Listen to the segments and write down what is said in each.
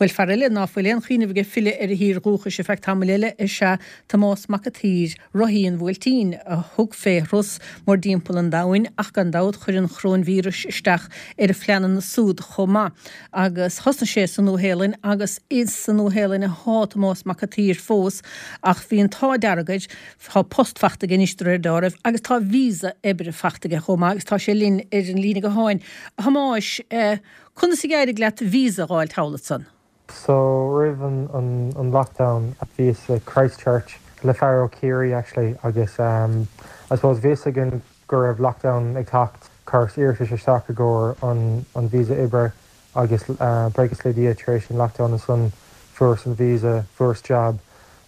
Bhuel, fear eile ná fuil aon chuimhneamh aige filleadh ar a thír dhúchais ar feadh tamaill eile is ea Tomás Mac a' tSaoir, rothaí an Bhuailtín, a thug fé thuras mórdtimpeall an domhain ach gan dabht chuir an choróinvíreas isteach ar a phleananna súd chomh maith. Agus thosnaigh sé sa Nua-Shéalainn agus is sa Nua-Shéalainn athá Tomás Mac a' tSaoir fós ach bhí an t-ádh dearg air, tá post fachta aige anois de réir dealraimh agus tá visa oibre fachta aige chomh maith agus tá sé linn ar an líne gutháin. A Thomáis, conas a d'éirigh leat visa a dh'fháilt thall ansan? So roimh an lockdown bhíos i Christchurch le fear ó Chiarraí actually agus I suppose bhí fhios againn go raibh lockdown ag teacht, chuireas iarratas isteach i gcomhair an visa oibre agus buíochas le Dia tar éis an lockdown ansan fuaireas an visa, fuaireas jab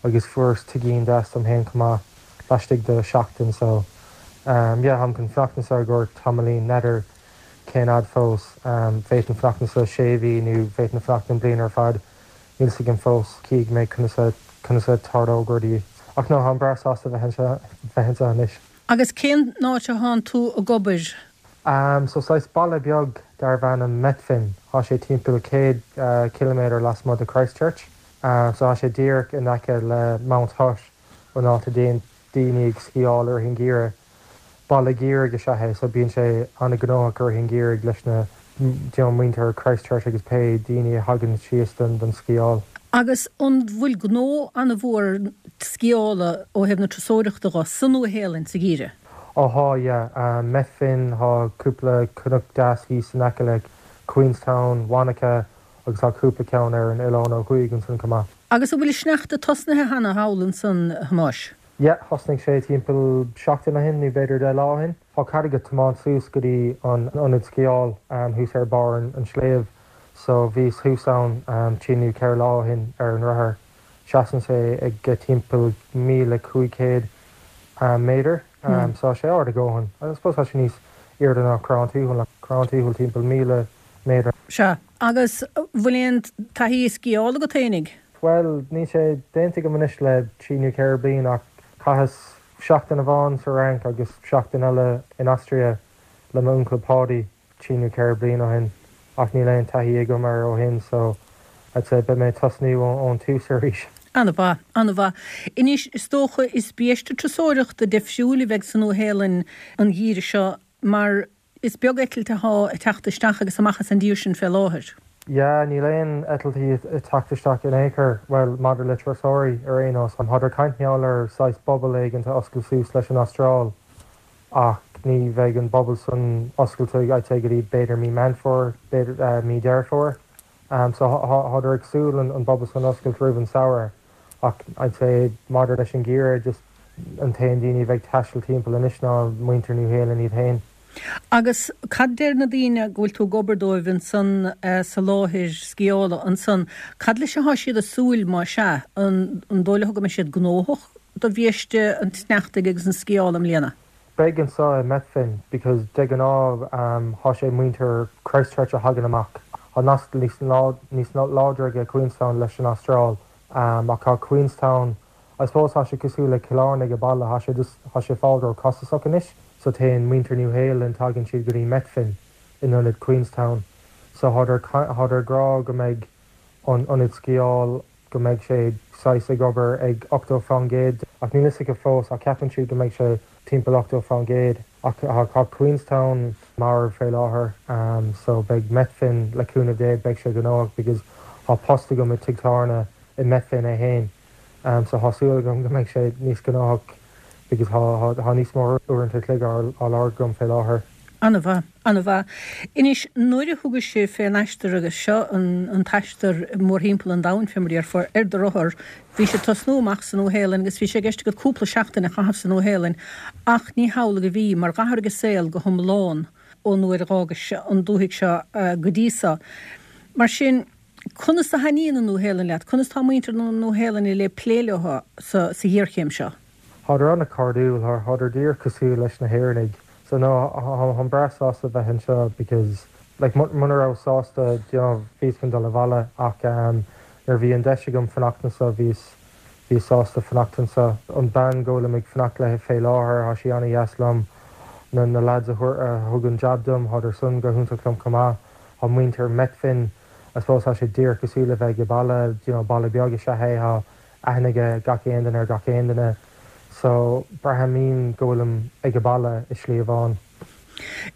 agus fuaireas tigín deas dom féin chomh maith laistigh de seachtain so yeah táim chun fanacht anso i gcomhair tamaillín, n'fheadar cén fhad fós. Bhféadfainn fanacht anso sé mhí nó bhféadfainn fanacht an bliain ar fad, níl 's agam fós. Cífidh mé conas a conas a tarlóidh rudaí. Ach no, táim breá sásta bheith anseo bheith anseo anois. Agus cén áit a thánn tú ag obair? So saghas baile beag darbh ainm Methven. Thá sé timpeall 100 ciliméadar lasmuigh de Christchurch. So thá sé díreach in aice le Mount Hutt, an áit a dtéann daoine ag sciáil i rith an gheimhridh. Baile geimhridh is ea é so bíonn sé an-ghnóthach i rith an gheimhridh leis na you know muintir Christchurch agus pé daoine a thagann síos don don sciáil. Agus an bhfuil gnó an-mhór sciála ó thaobh na turasóireachta dho sa Nua-Shéalainn sa gheimhreadh? Ó thá yeah. Methven, thá cúpla cnoc deas thíos in aice le Queenstown, Wanaka agus thá cúpla ceann ar an oileán ó thuaidh ansan chomh maith. Agus an bhfuil an sneachta tosnaithe cheana thall ansan, a Thomáis? Yeah, thosnaigh sé timpeall seachtain ó shin nó b'fhéidir 10 lá ó shin. Tá cead agat tiomáint suas go dtí an ionad sciáil thuas ar barr an sléibh so bhíos thuas ann trí nó 4 lá ó shin ar an rothar. Seasann sé ag timpeall 1,500 méadar so tá sé ard a dhóthain. I suppose tá sé níos airde ná Corrán Tuathail, Corrán Tuathail timpeall 1,000 méadar. Sea, agus bhfuil aon taithí sciála agat fhéinig? Bhuel, níl sé déanta agam anois le trí nó 4 bliain ach chaitheas seachtain amháin sa Fhrainc agus seachtain eile in Austria le m'uncail Páidí trí nó 4 bliain ó shin ach níl aon taithí agam air ó shin so I'd say beidh mé ag tosnú ón tús arís. An-mhaith, an-mhaith. Anois, is dócha, is biaiste turasóireachta difriúil a bheidh sa Nua-Shéalainn an geimhreadh seo mar Is beag eitilt athá ag teacht isteach agus amach as an dtír sin fé láthair. Yeah, níl aon eitiltí ag teacht isteach in aon chor, bhuel, maidir le turasóirí ar aon nós. Thádar ag caint mar gheall ar saghas bubble éigint a oscailt suas leis an Astráil ach ní bheidh an bubble san oscailte, I'd say, go dtí b'fhéidir mí Meán Fómhair, b'fhéidir mí Deireadh Fómhair. So thádar ag súil an bubble san a oscailt roimh an samhradh. Ach I'd say maidir leis an gheimhreadh, just an t-aon daoine a bheidh ag taisteal timpeall anois ná muintir New Shéalainn iad féin. Agus cad deir na daoine go bhfuil tú ag obair dóibh ansan sa láthair sciála ansan, cad leis athá siad ag súil má sea, an dóigh leo go mbeidh siad gnóthach do bhiaiste an tsneachtaidh agus an sciála i mbliana? Beidh anso i Methven because de ghnáth thá sé muintir Christchurch a thagann amach. Thá nasc níos níos láidre aige Queenstown leis an Astráil ach thá Queenstown I suppose thá sé cosúil le Cill Airne ag baile thá sé just thá sé fáil ró costasach anois so téann muintir New Shéalainn tagann siad go dtí Methven in ionad Queenstown so thádar thádar ag rá go mbeidh an ionad sciáil go mbeidh sé saghas ag obair ag 80% ach níl fhios acu fós ach ceapann siad go mbeidh sé timpeall 80% ach tá Queenstown marbh fé láthair so beidh Methven le cúnamh Dé beidh sé gnóthach because tá post agam i tigh tábhairne i Methven é fhéin so tá súil agam go mbeidh sé níos gnóthach because tá níos mó uaireanta an chloig á lorg agam fé láthair. An-mhaith, an-mhaith. Anois, nuair a thugais fén aistear agus seo an t-aistear mórthimpeall an domhain, fé mar a déarfá, ar do rothar, bhí sé ag tosnú amach sa Nua-Shéalainn agus bhí sé i gceist agat cúpla seachtain a chaitheamh sa Nua-Shéalainn ach ní hamhlaidh a bhí, mar dh'athraigh an saol go hiomlán ón uair a dh'fhágais an dúthaigh seo go dtí so. Mar sin, conas a thaitníonn an Nua-Shéalainn leat? Conas tá muintir na Nua-Shéalainne le plé leo sa ghéarchéim seo? Thádar an-chairdiúil, thádar díreach cosúil leis na hÉireannaigh. So no, tháim breá sásta bheith anseo because like muna rabhas sásta you know bhíos chun dul abhaile ach nuair a bhí an deis agam fanacht anseo bhíos bhíos sásta fanacht anseo. An bean go bhfuilim ag fanacht léi fé láthair, thá sí an-dheas liom. Na na lads a thug an jab dom, thádar san go hiontach liom chomh maith. Thá muintir Methven. I suppose tá sé díreach cosúil le bheith ag baile, you know, baile beag is ea é, tá aithne ag gach aon duine ar gach aon duine so braithim go bhfuilim ag baile i slí amháin.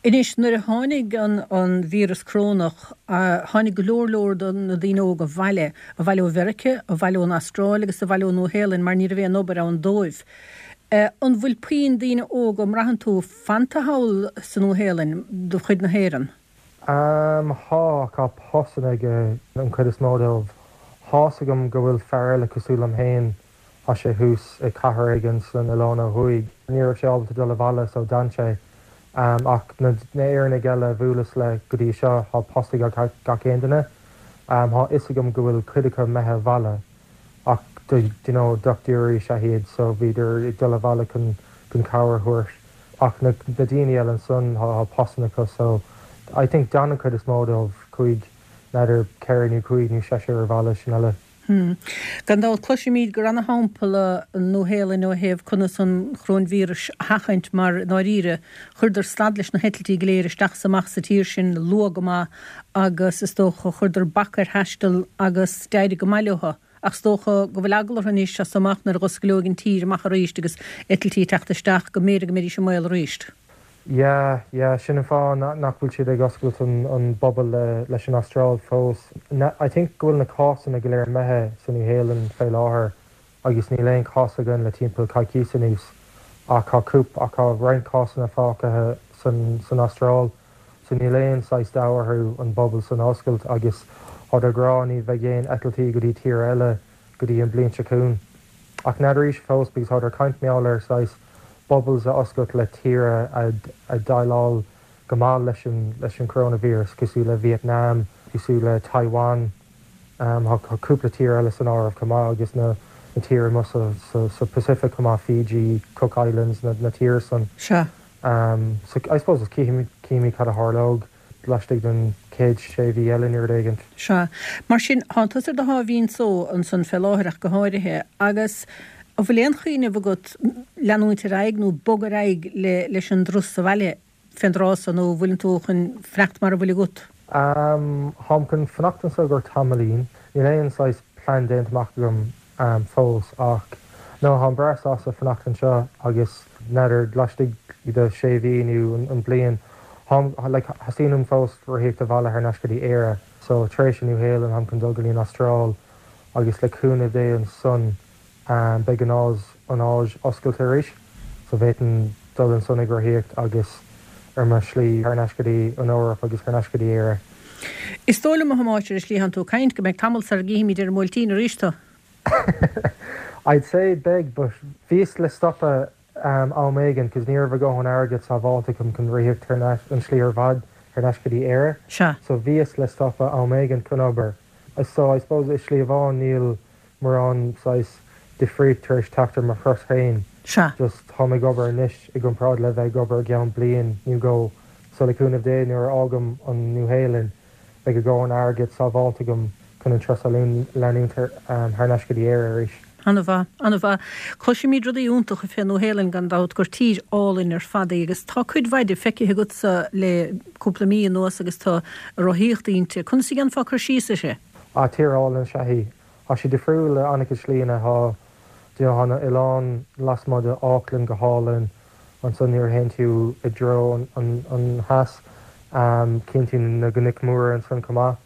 Anois, nuair a tháinig an víreas corónach, tháinig go leor leor de na daoine óga abhaile, abhaile ó Mheiriceá, abhaile ón Astráil agus abhaile ón Nua-Shéalainn mar ní raibh aon obair ann dóibh. An bhfuil puinn daoine óga, an mbraitheann tú, fanta thall sa Nua-Shéalainn de chuid na hÉireann? Tá, tá postanna ag an chuid is mó dóibh. Tá's agam go bhfuil fear eile cosúil liom féin, tá sé thuas i cathair éigin san oileán ó thuaidh. Ní raibh sé ábalta dul abhaile so d'fhan sé. Ach na hÉireannaigh eile a bhuaileas le go dtí seo, tá post ag gach aon duine. Tá fhios agam go bhfuil cuid acu imithe abhaile ach do you know dochtúirí is ea iad so bhíodar ag dul abhaile chun chun cabhair a thabhairt. Ach na daoine eile ansan tá postanna acu so I think d'fhan an chuid is mó dóibh, chuaigh n'fheadar ceithre nó cúig nó seisear abhaile sin uile. Hmm. Gan dabht cloisimid gur ana-shampla an Nua-Shéalainn ó thaobh conas an choróinvíreas a sheachaint mar i ndáiríre chuireadar stad leis na heitiltí go léir isteach is amach sa tír sin luath go maith agus is dócha chuireadar bac ar thaisteal agus d'éirigh go maith leo. Ach is dócha go bhfuil eagla orthu anois as so amach nuair a dh'osclóidh an tír amach arís agus eitiltí ag teacht isteach go mb'fhéidir go mbeidís i mbaol arís. Yeah, yeah, sin an fáth nach bhfuil siad ag oscailt an bubble leis an Astráil fós. I think go bhfuil na cásanna go léir imithe sa Nua Shéalainn fé láthair agus níl aon chás againn le timpeall coicíos anuas ach tá cúp ach tá roinnt cásanna fágtha san san Astráil. So níl aon saghas dabht orthu an bubble san a oscailt agus táid ag rá ní bheidh aon eitiltí go dtí tír eile go dtí an bliain seo chugainn. Ach n'fheadar arís fós because táid ag caint mar gheall ar saghas bubbles a oscailt le tíre a dhéileáil go maith leis an leis an coronavirus cosúil le Vietnam, cosúil le Taiwan. Tá cúpla tír eile san áireamh chomh maith agus na tíre amuigh sa sa Pacific chomh maith, Fiji, Cook Islands, na tíre san. Sea. So I suppose is cífimid cad a tharlódh laistigh den chéad sé mhí eile nó rud éigint. Sea. Mar sin, thánn tusa ar do sháimhín só ansan fé láthair ach go háirithe, agus an bhfuil aon chuimhneamh agat leanúint ar aghaidh nó bogadh ar aghaidh leis an dturas abhaile fén dtráth so nó an bhfuileann tú chun fanacht mar a bhfuil agat? Táim chun fanacht anso i gcomhair tamaillín. Níl aon saghas plean déanta amach agam fós ach no táim breá sásta fanacht anseo agus n'fheadar laistigh de sé mhí nó an bliain táim like theastaíonn uaim fós rothaíocht abhaile thar n-ais go dtí Éire so tar éis an Nua Shéalainn táim chun dul go dtí an Astráil agus le cúnamh Dé ansan beidh an Áis an Áis oscailte arís so bhféadfainn dul ansan ag rothaíocht agus ar mo shlí thar n-ais go dtí an Eoraip agus thar n-ais go dtí Éire. Is dóigh liom, a Thomáis, ar an slí a thánn tú ag caint, go mbeidh tamall sara gcífimid ar an mBuailtín arís tú. I'd say beidh, but bhíos le stopadh am éigin cos ní raibh a dhóthain airgead sábháilte agam chun rothaíocht thar n-ais an slí ar fad thar n-ais go dtí Éire. Sea. So bhíos le stopadh am éigin chun obair. So I suppose i slí amháin níl mórán saghas difríocht tar éis teacht ar mo thuras féin. Sea. Just táim ag obair anois i gcomparáid le bheith ag obair i gceann bliain nó dhó. So le cúnamh Dé nuair a fhágaim an Nua-Shéalainn beidh a dhóthain airgid sábháilte agam chun an turas a leanúint thar n-ais go dtí Éire arís. An-mhaith, an-mhaith. Cloisimid rudaí iontacha fén Nua-Shéalainn gan dabht, gur tír álainn ar fad í agus tá cuid mhaith di feicthe agatsa le cúpla mí anuas agus tú ag rothaíocht inti. Conas a dhéanfá cur síos uirthi? Ah, tír álainn is ea í. Tá sí difriúil i an-chuid slíanna. Tá, you know, tá na oileáin lasmuigh de Auckland go hálainn. Ansan nuair a théann tú i dtreo an theas, cíonn tú na cnoic mhóra ansan chomh maith.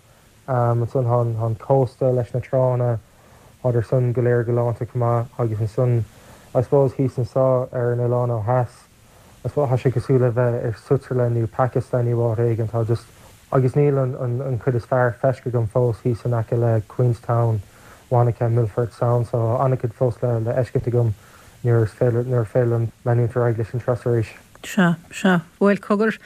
Ansan tá an cósta leis na tránna, tádar san go léir galánta chomh maith. Agus ansan, I suppose, thíos anso ar an oileán ó theas, I suppose, tá sé cosúil le bheith i Switzerland nó Pakistan nó áit éigin. Tá just, agus níl an an chuid is fearr feiscithe agam fós thíos in aice le Queenstown, Wanaka, Milford Sound, so tá an-chuid fós le le fheiscint agam nuair is féidir nuair féidir liom leanúint ar aghaidh leis an turas arís. Sea, sea. Bhuel, cogar,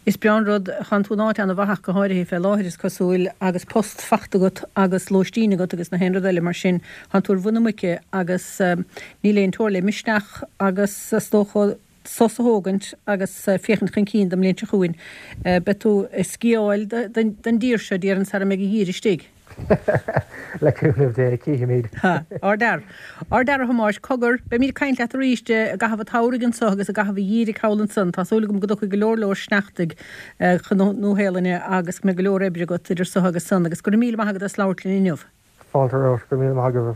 is breá an rud, thánn tú in áit ana-mhaith ach go háirithe fé láthair, is cosúil, agus post fachta agat agus lóistín agat agus na haon rud eile mar sin, thánn tú ar mhuin na muice agus níl aon teora le misneach agus is dócha sos a thógaint agus féachaint chun cinn don mbliain seo chugainn. Beidh tú ag sciáil don dtír seo, déarfainn, sara mbeidh an geimhreadh istigh. Le cúnamh Dé, cífimid. Ha, ardfhear. Ardfhear a Thomáis. Cogar, beimid ag caint leat arís i gcaitheamh an tsamhraidh anso agus i gcaitheamh an gheimhridh thall ansan. Tá súil agam go dtiocfaidh go leor leor sneachtaidh chun na Nua-Shéalainne agus go mbeidh go leor oibre agat idir so agus san. Agus go raibh míle maith agat as labhairt linn inniu. Fáilte romhat. Go raibh míle maith agaibh ar fad.